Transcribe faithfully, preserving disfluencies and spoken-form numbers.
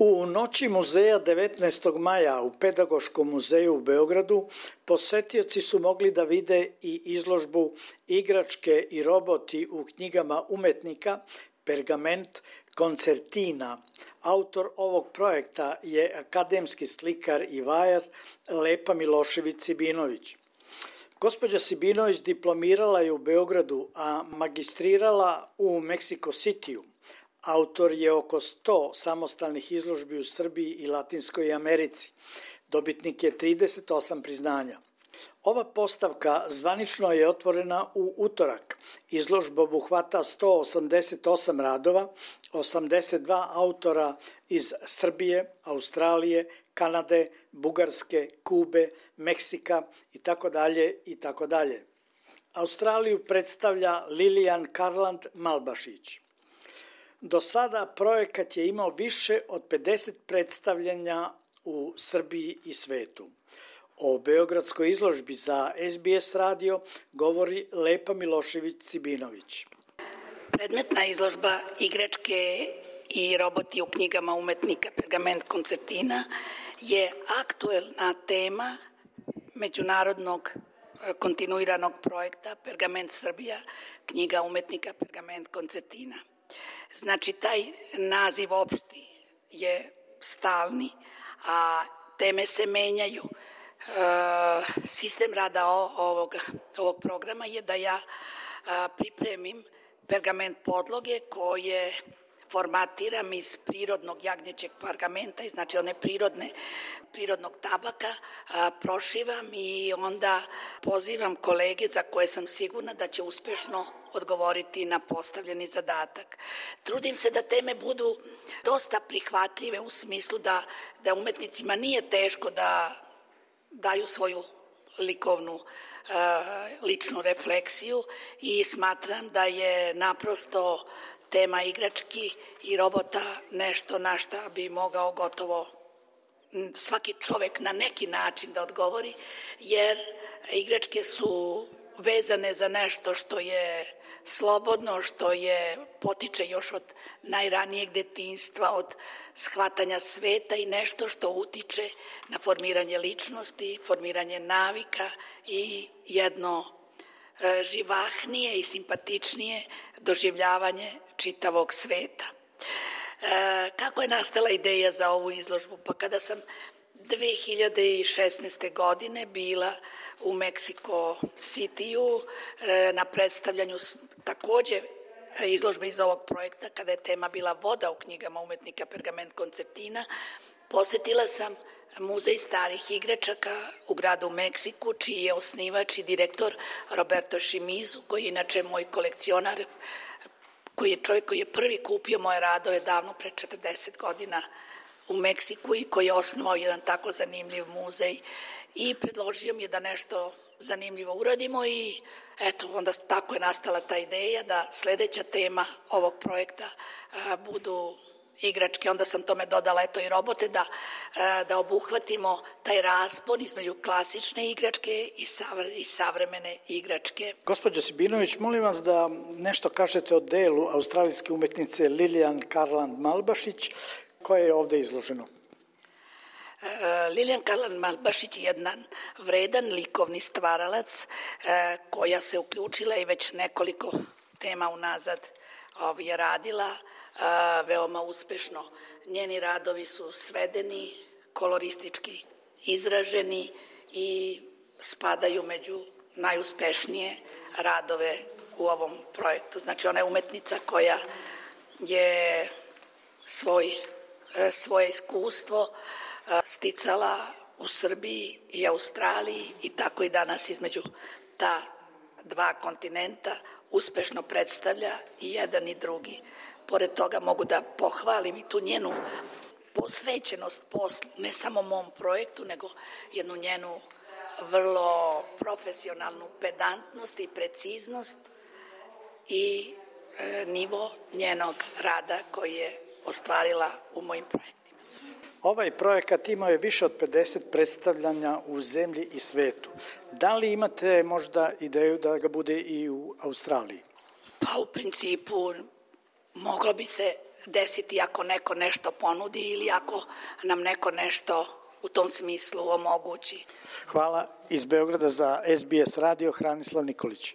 U noći muzeja devetnaestog maja u Pedagoškom muzeju u Beogradu posetioci su mogli da vide i izložbu Igračke i roboti u knjigama umetnika Pergament koncertina. Autor ovog projekta je akademski slikar i vajar Lepa Milošević-Sibinović. Gospođa Sibinović diplomirala je u Beogradu, a magistrirala u Meksiko Cityu. Autor je oko sto samostalnih izložbi u Srbiji i Latinskoj Americi. Dobitnik je trideset osam priznanja. Ova postavka zvanično je otvorena u utorak. Izložba obuhvata sto osamdeset osam radova, osamdeset dva autora iz Srbije, Australije, Kanade, Bugarske, Kube, Meksika itd. itd. Australiju predstavlja Lilian Karland Malbašić. Do sada projekat je imao više od pedeset predstavljanja u Srbiji i svetu. O beogradskoj izložbi za S B S radio govori Lepa Milošević-Sibinović. Predmetna izložba Igračke i roboti u knjigama umetnika Pergament koncertina je aktuelna tema međunarodnog kontinuiranog projekta Pergament Srbija, knjiga umetnika Pergament koncertina. Znači, taj naziv opšti je stalni, a teme se menjaju. E, sistem rada ovog, ovog programa je da ja a, pripremim pergament podloge koje formatiram iz prirodnog jagnjećeg pergamenta, znači one prirodne, prirodnog tabaka, a, prošivam i onda pozivam kolege za koje sam sigurna da će uspešno odgovoriti na postavljeni zadatak. Trudim se da teme budu dosta prihvatljive u smislu da, da umetnicima nije teško da daju svoju likovnu ličnu refleksiju i smatram da je naprosto tema igrački i robota nešto na šta bi mogao gotovo svaki čovek na neki način da odgovori, jer igračke su vezane za nešto što je slobodno, što je potiče još od najranijeg detinjstva, od shvatanja sveta i nešto što utiče na formiranje ličnosti, formiranje navika i jedno e, živahnije i simpatičnije doživljavanje čitavog sveta. E, kako je nastala ideja za ovu izložbu? Pa kada sam dve hiljade šesnaeste. godine bila u Meksiko Cityu na predstavljanju takođe izložbe iz ovog projekta, kada je tema bila voda u knjigama umetnika Pergament koncertina, posetila sam muzej starih igračaka u gradu Meksiku, čiji je osnivač i direktor Roberto Šimizu, koji je inače moj kolekcionar, koji je čovjek koji je prvi kupio moje radove davno pre četrdeset godina u Meksiku i koji je osnovao jedan tako zanimljiv muzej i predložio mi je da nešto zanimljivo uradimo i eto, onda tako je nastala ta ideja da sledeća tema ovog projekta a, budu igračke. Onda sam tome dodala eto i robote da, a, da obuhvatimo taj raspon između klasične igračke i, savre, i savremene igračke. Gospođo Sibinović, molim vas da nešto kažete o delu australijske umetnice Lilian Karland Malbašić, koje je ovde izloženo. Lilian Karland Malbašić je jedan vredan likovni stvaralac koja se uključila i već nekoliko tema unazad je radila veoma uspešno. Njeni radovi su svedeni, koloristički izraženi i spadaju među najuspešnije radove u ovom projektu. Znači, ona je umetnica koja je svoj svoje iskustvo sticala u Srbiji i Australiji i tako i danas između ta dva kontinenta uspešno predstavlja i jedan i drugi. Pored toga mogu da pohvalim i tu njenu posvećenost poslu, ne samo mom projektu, nego jednu njenu vrlo profesionalnu pedantnost i preciznost i e, nivo njenog rada koji je ostvarila u mojim projektima. Ovaj projekat imao je više od pedeset predstavljanja u zemlji i svetu. Da li imate možda ideju da ga bude i u Australiji? Pa u principu moglo bi se desiti ako neko nešto ponudi ili ako nam neko nešto u tom smislu omogući. Hvala. Iz Beograda za S B S radio Hranislav Nikolić.